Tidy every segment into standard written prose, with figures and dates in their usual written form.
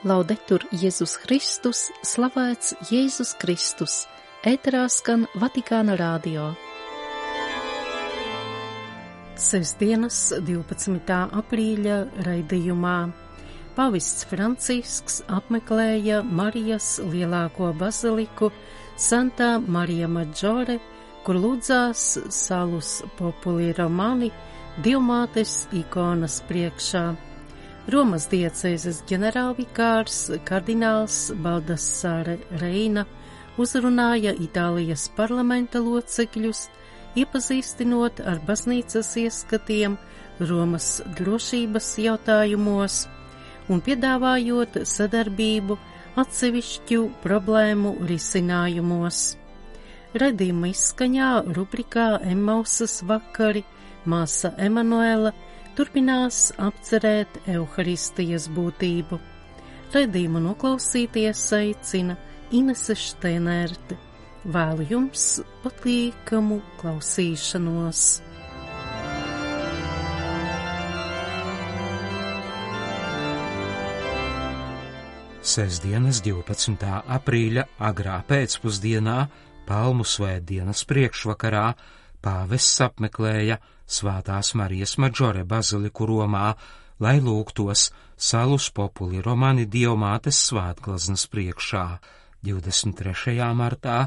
Laudetur Jēzus Kristus, slavēts Jēzus Kristus, ēterā skan Vatikāna radio. Sestdienas 12. aprīļa raidījumā Pāvests Francisks apmeklēja Marijas lielāko baziliku Santa Maria Maggiore, kur lūdzās Salus Populi Romani Dievmātes ikonas priekšā. Romas diecēzes ģenerālvikārs kardināls Baldassare Reina uzrunāja Itālijas parlamenta locekļus, iepazīstinot ar baznīcas ieskatiem Romas drošības jautājumos un piedāvājot sadarbību atsevišķu problēmu risinājumos. Raidījuma izskaņā rubrikā Emmausas vakari māsa Emanuela turpinās apcerēt Euharistijas būtību. Raidījumu noklausīties aicina Inese Šteinerte. Vēlu jums patīkamu klausīšanos. Sestdienas 12. aprīļa agrā pēcpusdienā, Palmu svētdienas priekšvakarā, pāvests apmeklēja Svētās Marijas Maggiore baziliku Romā, lai lūgtos Salus Populi Romani Dievmātes svētgleznas priekšā. 23. martā,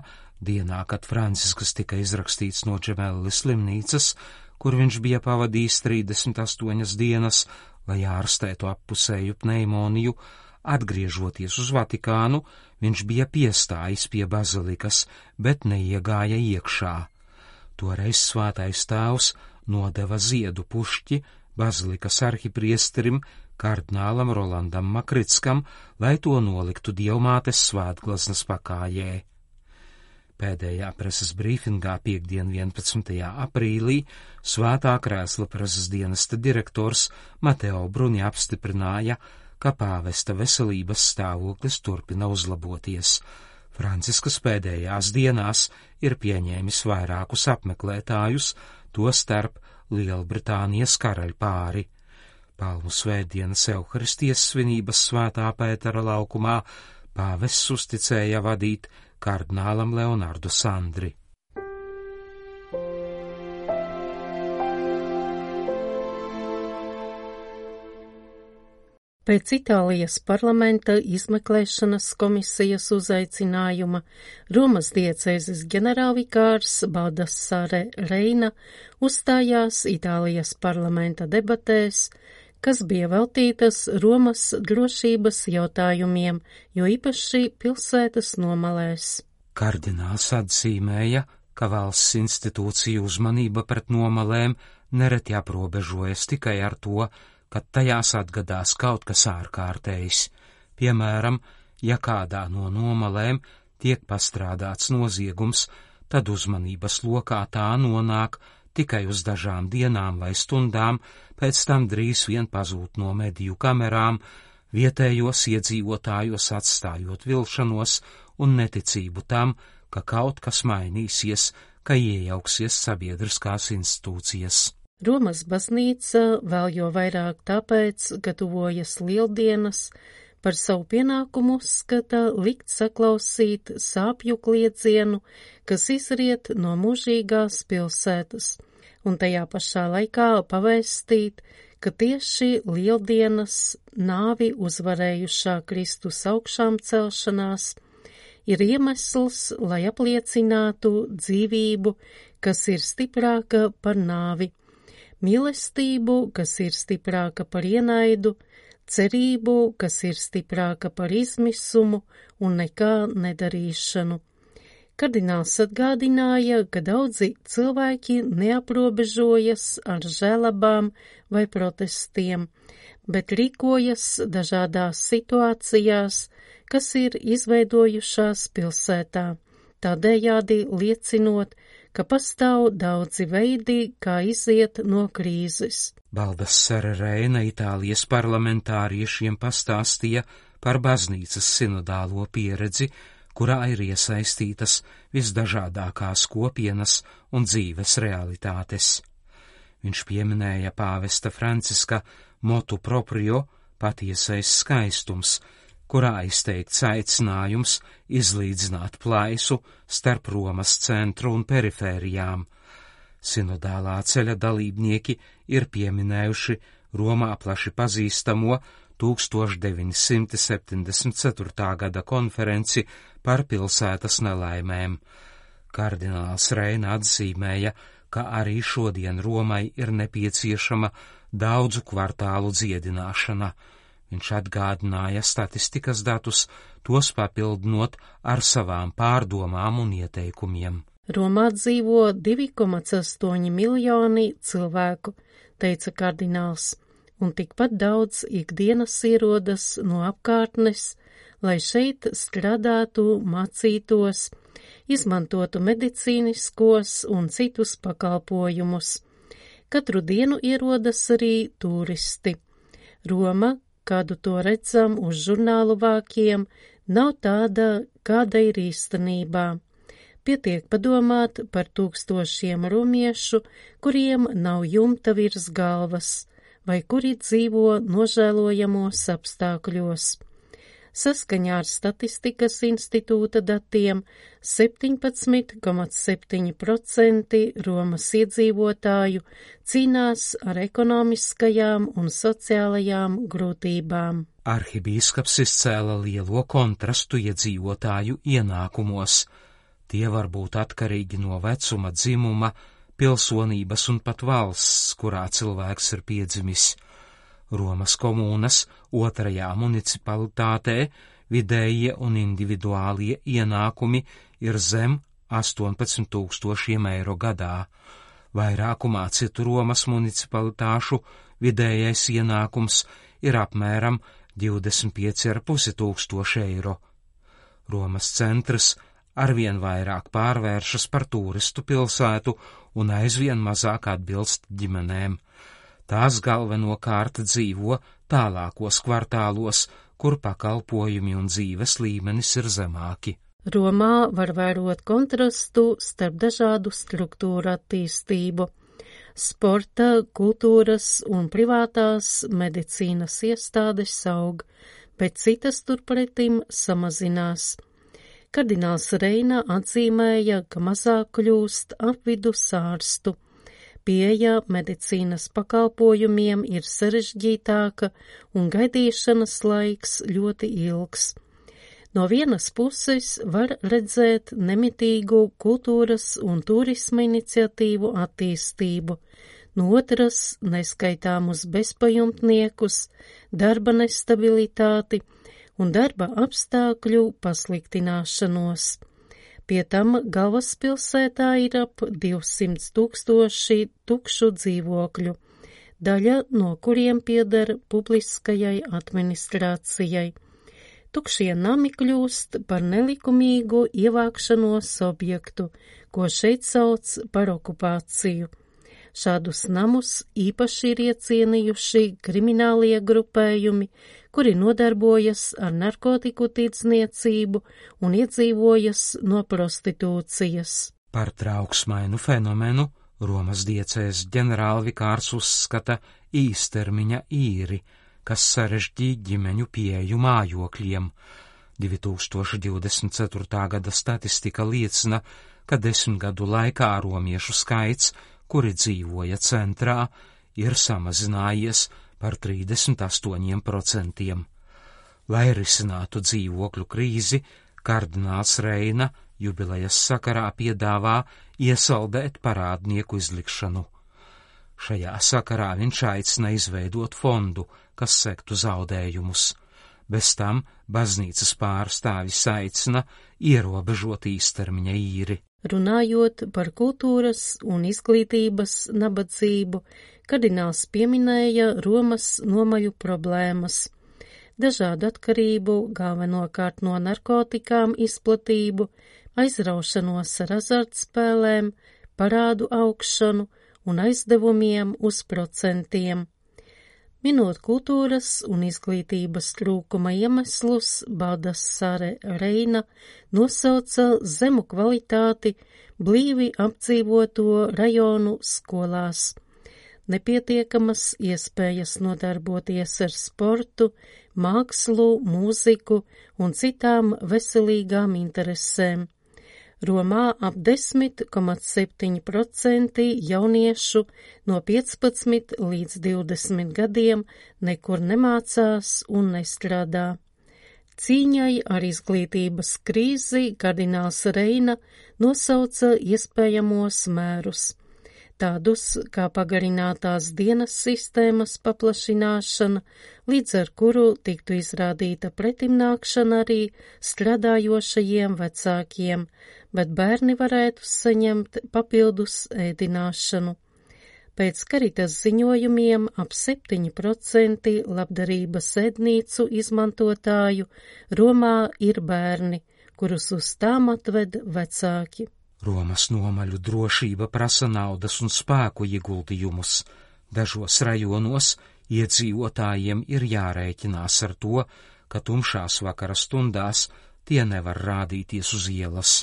dienā, kad Francisks tika izrakstīts no Džemellis slimnīcas, kur viņš bija pavadījis 38 dienas, lai ārstētu appusēju pneimoniju, atgriežoties uz Vatikānu, viņš bija piestājis pie bazilikas, bet neiegāja iekšā. Toreiz svētais tēvs nodeva ziedu pušķi bazilikas arhipriesterim kardinālam Rolandam Makritskam, lai to noliktu Dievmātes svētgleznas pakājē. Pēdējā preses brīfingā piektdien 11. aprīlī Svētā krēsla preses dienesta direktors Mateo Bruni apstiprināja, ka pāvesta veselības stāvoklis turpina uzlaboties. Franciskas pēdējās dienās ir pieņēmis vairākus apmeklētājus, tostarp Lielbritānijas karaļpāri. Palmu svētdienas Euharistijas svinības Svētā Pētera laukumā pāvests uzticēja vadīt kardinālam Leonardu Sandri. Pēc Itālijas parlamenta izmeklēšanas komisijas uzaicinājuma Romas diecēzes ģenerālvikārs Baldassare Reina uzstājās Itālijas parlamenta debatēs, kas bija veltītas Romas drošības jautājumiem, jo īpaši pilsētas nomalēs. Kardināls atzīmēja, ka valsts institūciju uzmanība pret nomalēm nereti aprobežojas tikai ar to, kad tajās atgadās kaut kas ārkārtējs. Piemēram, ja kādā no nomalēm tiek pastrādāts noziegums, tad uzmanības lokā tā nonāk tikai uz dažām dienām vai stundām, pēc tam drīz vien pazūd no mediju kamerām, vietējos iedzīvotājos atstājot vilšanos un neticību tam, ka kaut kas mainīsies, ka iejauksies sabiedriskās institūcijas. Romas baznīca vēl jo vairāk tāpēc, ka tuvojas lieldienas, par savu pienākumu uzskata likt saklausīt sāpju kliedzienu, kas izriet no mūžīgās pilsētas, un tajā pašā laikā pavēstīt, ka tieši lieldienas nāvi uzvarējušā Kristus augšām celšanās ir iemesls, lai apliecinātu dzīvību, kas ir stiprāka par nāvi, mīlestību, kas ir stiprāka par ienaidu, cerību, kas ir stiprāka par izmisumu un nekā nedarīšanu. Kardināls atgādināja, ka daudzi cilvēki neaprobežojas ar žēlabām vai protestiem, bet rīkojas dažādās situācijās, kas ir izveidojušās pilsētā, tādējādi liecinot, ka pastāv daudzi veidi, kā iziet no krīzes. Baldassare Reina Itālijas parlamentāriešiem pastāstīja par baznīcas sinodālo pieredzi, kurā ir iesaistītas visdažādākās kopienas un dzīves realitātes. Viņš pieminēja pāvesta Franciska motu proprio, patiesais skaistums, kurā izteikts aicinājums izlīdzināt plaisu starp Romas centru un perifērijām. Sinodālā ceļa dalībnieki ir pieminējuši Romā plaši pazīstamo 1974. gada konferenci par pilsētas nelaimēm. Kardināls Reina atzīmēja, ka arī šodien Romai ir nepieciešama daudzu kvartālu dziedināšana. Viņš atgādināja statistikas datus, tos papildinot ar savām pārdomām un ieteikumiem. Romā dzīvo 2,8 miljoni cilvēku, teica kardināls, un tikpat daudz ikdienas ierodas no apkārtnes, lai šeit strādātu, mācītos, izmantotu medicīniskos un citus pakalpojumus. Katru dienu ierodas arī turisti. Roma, kādu to redzam uz žurnālu vākiem, nav tāda, kāda ir īstenībā. Pietiek padomāt par tūkstošiem romiešu, kuriem nav jumta virs galvas, vai kuri dzīvo nožēlojamos apstākļos. Saskaņā ar Statistikas institūta datiem 17,7% Romas iedzīvotāju cīnās ar ekonomiskajām un sociālajām grūtībām. Arhibīskaps izcēla lielo kontrastu iedzīvotāju ienākumos. Tie var būt atkarīgi no vecuma, dzimuma, pilsonības un pat valsts, kurā cilvēks ir piedzimis. Romas komūnas 2. municipalitātē vidējie un individuālie ienākumi ir zem 18 000 eiro gadā. Vairākumā citu Romas municipalitāšu vidējais ienākums ir apmēram 25 500 eiro. Romas centrs arvien vairāk pārvēršas par turistu pilsētu un aizvien mazāk atbilst ģimenēm. Tās galvenokārt dzīvo tālākos kvartālos, kur pakalpojumi un dzīves līmenis ir zemāki. Romā var vērot kontrastu starp dažādu struktūru attīstību. Sporta, kultūras un privātās medicīnas iestādes aug, bet citas turpretim samazinās. Kardināls Reina atzīmēja, ka mazāk kļūst apvidus ārstu. Pieeja medicīnas pakalpojumiem ir sarežģītāka un gaidīšanas laiks ļoti ilgs. No vienas puses var redzēt nemitīgu kultūras un turisma iniciatīvu attīstību, no otras neskaitāmus bezpajumtniekus, darba nestabilitāti un darba apstākļu pasliktināšanos. Pie tam galvaspilsētā ir ap 200 000 tukšu dzīvokļu, daļa no kuriem pieder publiskajai administrācijai. Tukšie nami kļūst par nelikumīgu ievākšanos objektu, ko šeit sauc par okupāciju. Šādus namus īpaši ir iecienījuši kriminālie grupējumi, kuri nodarbojas ar narkotiku tirdzniecību un iedzīvojas no prostitūcijas. Par trauksmainu fenomenu Romas diecēs ģenerālvikārs uzskata īstermiņa īri, kas sarežģīja ģimeņu pieeju mājokļiem. 2024. gada statistika liecina, ka 10 gadu laikā romiešu skaits, kuri dzīvoja centrā, ir samazinājies par 38%. Lai risinātu dzīvokļu krīzi, kardināls Reina jubilejas sakarā piedāvā iesaldēt parādnieku izlikšanu. Šajā sakarā viņš aicina izveidot fondu, kas sektu zaudējumus. Bez tam baznīcas pārstāvis aicina ierobežot īstermiņa īri. Runājot par kultūras un izglītības nabadzību, kardināls pieminēja Romas nomaļu problēmas, dažādu atkarību, galvenokārt no narkotikām izplatību, aizraušanos ar azartspēlēm, parādu augšanu un aizdevumiem uz procentiem. Minot kultūras un izglītības trūkuma iemeslus, Baldassare Reina nosauca zemu kvalitāti blīvi apdzīvoto rajonu skolās. nepietiekamas iespējas nodarboties ar sportu, mākslu, mūziku un citām veselīgām interesēm. Romā ap 10,7% jauniešu no 15 līdz 20 gadiem nekur nemācās un nestrādā. Cīņai ar izglītības krīzi kardināls Reina nosauca iespējamos mērus, tādus kā pagarinātās dienas sistēmas paplašināšana, līdz ar kuru tiktu izrādīta pretimnākšana arī strādājošajiem vecākiem, bet bērni varētu saņemt papildus ēdināšanu. Pēc Caritas ziņojumiem ap 7% labdarības ēdnīcu izmantotāju Romā ir bērni, kurus uz tām atved vecāki. Romas nomaļu drošība prasa naudas un spēku ieguldījumus. Dažos rajonos iedzīvotājiem ir jārēķinās ar to, ka tumšās vakara stundās tie nevar rādīties uz ielas.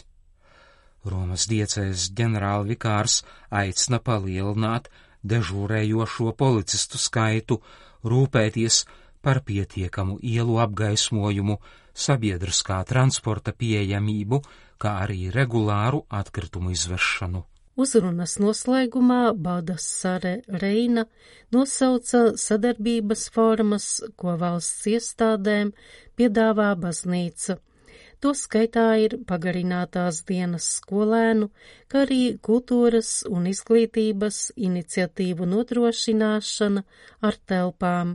Romas diecēzes ģenerālvikārs aicina palielināt dežūrējošo policistu skaitu, rūpēties par pietiekamu ielu apgaismojumu, sabiedriskā transporta pieejamību, kā arī regulāru atkritumu izvešanu. Uzrunas noslēgumā Baldassare Reina nosauca sadarbības formas, ko valsts iestādēm piedāvā baznīca. To skaitā ir pagarinātās dienas skolēnu, kā arī kultūras un izglītības iniciatīvu nodrošināšana ar telpām,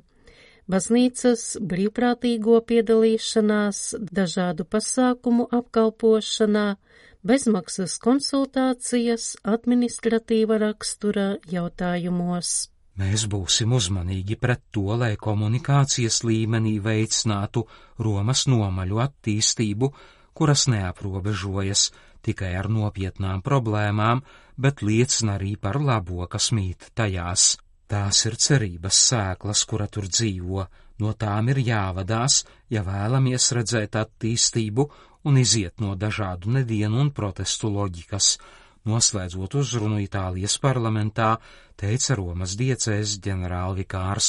baznīcas brīvprātīgo piedalīšanās dažādu pasākumu apkalpošanā, bezmaksas konsultācijas administratīva rakstura jautājumos. Mēs būsim uzmanīgi pret to, lai komunikācijas līmenī veicinātu Romas nomaļu attīstību, kuras neaprobežojas tikai ar nopietnām problēmām, bet liecina arī par labo, kas mīt tajās. Tās ir cerības sēklas, kura tur dzīvo, no tām ir jāvadās, ja vēlamies redzēt attīstību un iziet no dažādu nedienu un protestu loģikas. Noslēdzot uzrunu Itālijas parlamentā, teica Romas diecēzes ģenerālvikārs.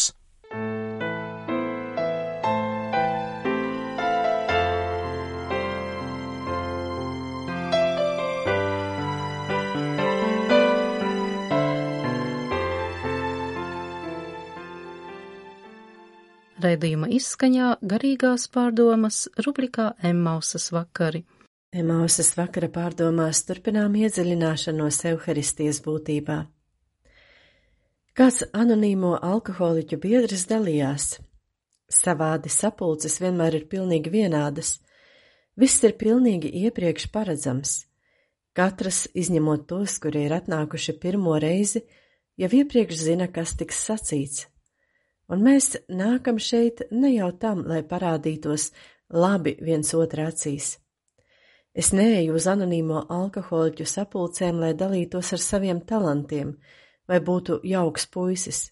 Raidījuma izskaņā garīgās pārdomas rubrikā Emmausas vakari. Emmausas vakara pārdomās turpinām iedziļināšanos Euharistijas būtībā. Kāds anonīmo alkoholiķu biedrs dalījās. Savādi sapulces vienmēr ir pilnīgi vienādas. Viss ir pilnīgi iepriekš paredzams. Katrs, izņemot tos, kuri ir atnākuši pirmo reizi, jau iepriekš zina, kas tiks sacīts. Un mēs nākam šeit ne jau tam, lai parādītos labi viens otra acīs. Es neeju uz anonīmo alkoholiķu sapulcēm, lai dalītos ar saviem talantiem, vai būtu jauks puisis.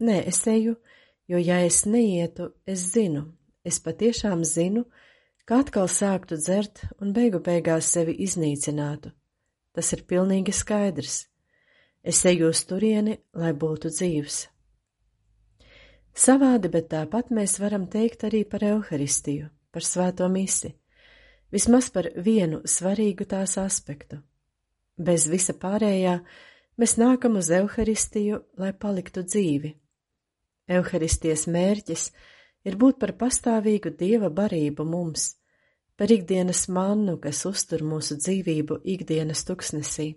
Nē, es eju, jo ja es neietu, es zinu, es patiešām zinu, ka atkal sāktu dzert un beigu beigās sevi iznīcinātu. Tas ir pilnīgi skaidrs. Es eju uz turieni, lai būtu dzīvs. Savādi, bet tāpat mēs varam teikt arī par Euharistiju, par svēto misi. Vismaz par vienu svarīgu tās aspektu. Bez visa pārējā mēs nākam uz Euharistiju, lai paliktu dzīvi. Euharistijas mērķis ir būt par pastāvīgu Dieva barību mums, par ikdienas mannu, kas uztur mūsu dzīvību ikdienas tuksnesī.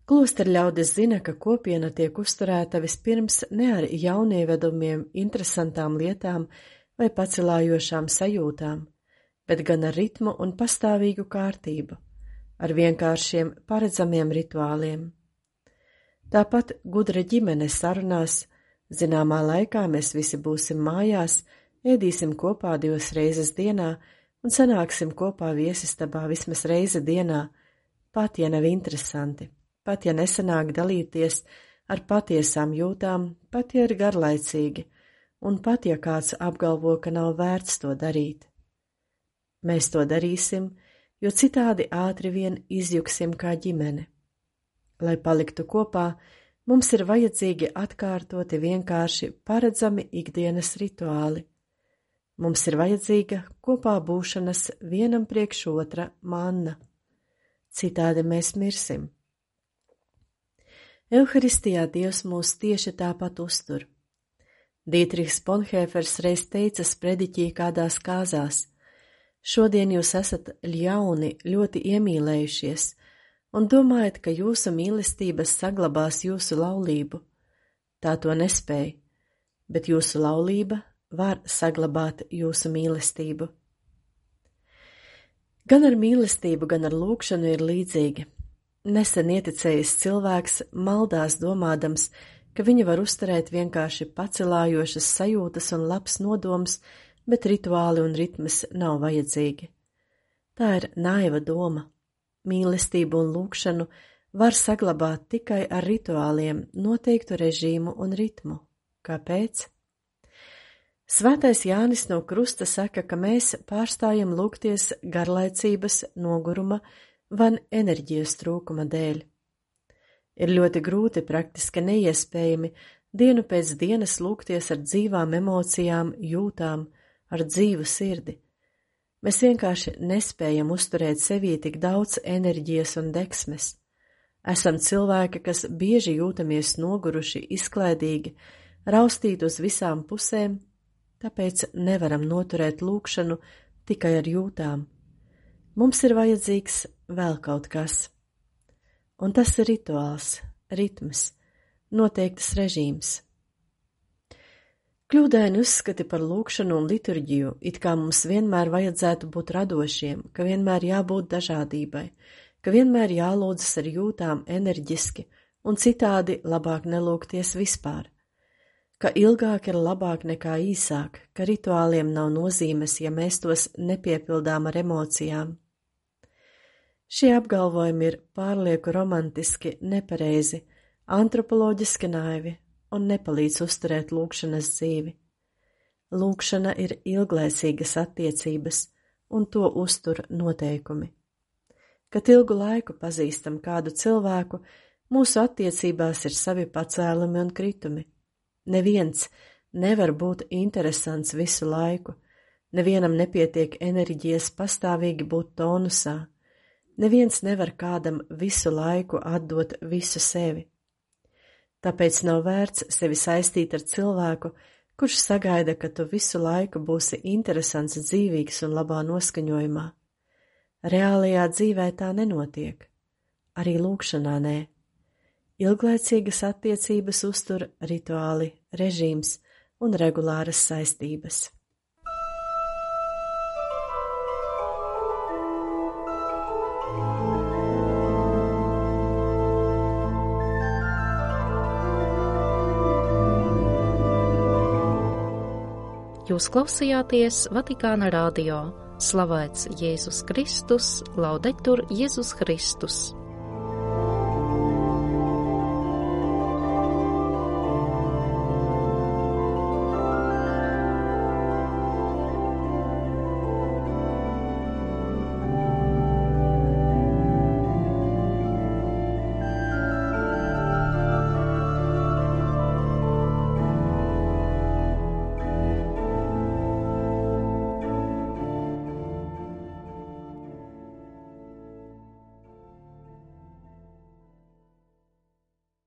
Klosterļaudis zina, ka kopiena tiek uzturēta vispirms ne ar jaunievedumiem, interesantām lietām vai pacelājošām sajūtām, bet gan ar ritmu un pastāvīgu kārtību, ar vienkāršiem paredzamiem rituāliem. Tāpat gudra ģimene sarunās, zināmā laikā mēs visi būsim mājās, ēdīsim kopā 2 reizes dienā un sanāksim kopā viesistabā vismaz reizi dienā, pat ja nav interesanti, pat ja nesanāk dalīties ar patiesām jūtām, pat ja ir garlaicīgi, un pat ja kāds apgalvo, ka nav vērts to darīt. Mēs to darīsim, jo citādi ātri vien izjuksim kā ģimene. Lai paliktu kopā, Mums ir vajadzīgi atkārtoti vienkārši paredzami ikdienas rituāli. Mums ir vajadzīga kopā būšanas vienam priekš otra manna. Citādi mēs mirsim. Euharistijā Dievs mūs tieši tāpat uztur. Dietrichs Bonhoeffers reiz teica sprediķī kādās kāzās: šodien jūs esat ļauni, ļoti iemīlējušies, un domājat, ka jūsu mīlestības saglabās jūsu laulību. Tā to nespēj, bet jūsu laulība var saglabāt jūsu mīlestību. Gan ar mīlestību, gan ar lūgšanu ir līdzīgi. Nesen ieticējis cilvēks maldās domādams, ka viņa var uzturēt vienkārši pacelājošas sajūtas un labs nodoms, bet rituāli un ritmas nav vajadzīgi. Tā ir naiva doma. Mīlestību un lūgšanu var saglabāt tikai ar rituāliem, noteiktu režīmu un ritmu. Kāpēc? Svētais Jānis no Krusta saka, ka mēs pārstājam lūgties garlaicības, noguruma vai enerģijas trūkuma dēļ. Ir ļoti grūti, praktiski neiespējami dienu pēc dienas lūgties ar dzīvām emocijām, jūtām, ar dzīvu sirdi. Mēs vienkārši nespējam uzturēt sevī tik daudz enerģijas un deksmes. Esam cilvēki, kas bieži jūtamies noguruši, izklaidīgi, raustīti uz visām pusēm, tāpēc nevaram noturēt lūgšanu tikai ar jūtām. Mums ir vajadzīgs vēl kaut kas. Un tas ir rituāls, ritms, noteikts režīms. Kļūdaini uzskati par lūgšanu un liturģiju, it kā mums vienmēr vajadzētu būt radošiem, ka vienmēr jābūt dažādībai, ka vienmēr jālūdzas ar jūtām enerģiski un citādi labāk nelūgties vispār, ka ilgāk ir labāk nekā īsāk, ka rituāliem nav nozīmes, ja mēs tos nepiepildām ar emocijām. Šie apgalvojumi ir pārlieku romantiski, nepareizi, antropoloģiski naivi un nepalīdz uzturēt lūgšanas dzīvi. Lūgšana ir ilglaicīgas attiecības, un to uztur noteikumi. Kad ilgu laiku pazīstam kādu cilvēku, mūsu attiecībās ir savi pacēlumi un kritumi. Neviens nevar būt interesants visu laiku, nevienam nepietiek enerģijas pastāvīgi būt tonusā. Neviens nevar kādam visu laiku atdot visu sevi. Tāpēc nav vērts sevi saistīt ar cilvēku, kurš sagaida, ka tu visu laiku būsi interesants, dzīvīgs un labā noskaņojumā. Reālajā dzīvē tā nenotiek. Arī lūgšanā nē. Ilglaicīgas attiecības uztur rituāli, režīms un regulāras saistības. Jūs klausījāties Vatikāna radio. Slavēts Jēzus Kristus, laudetur Jēzus Kristus.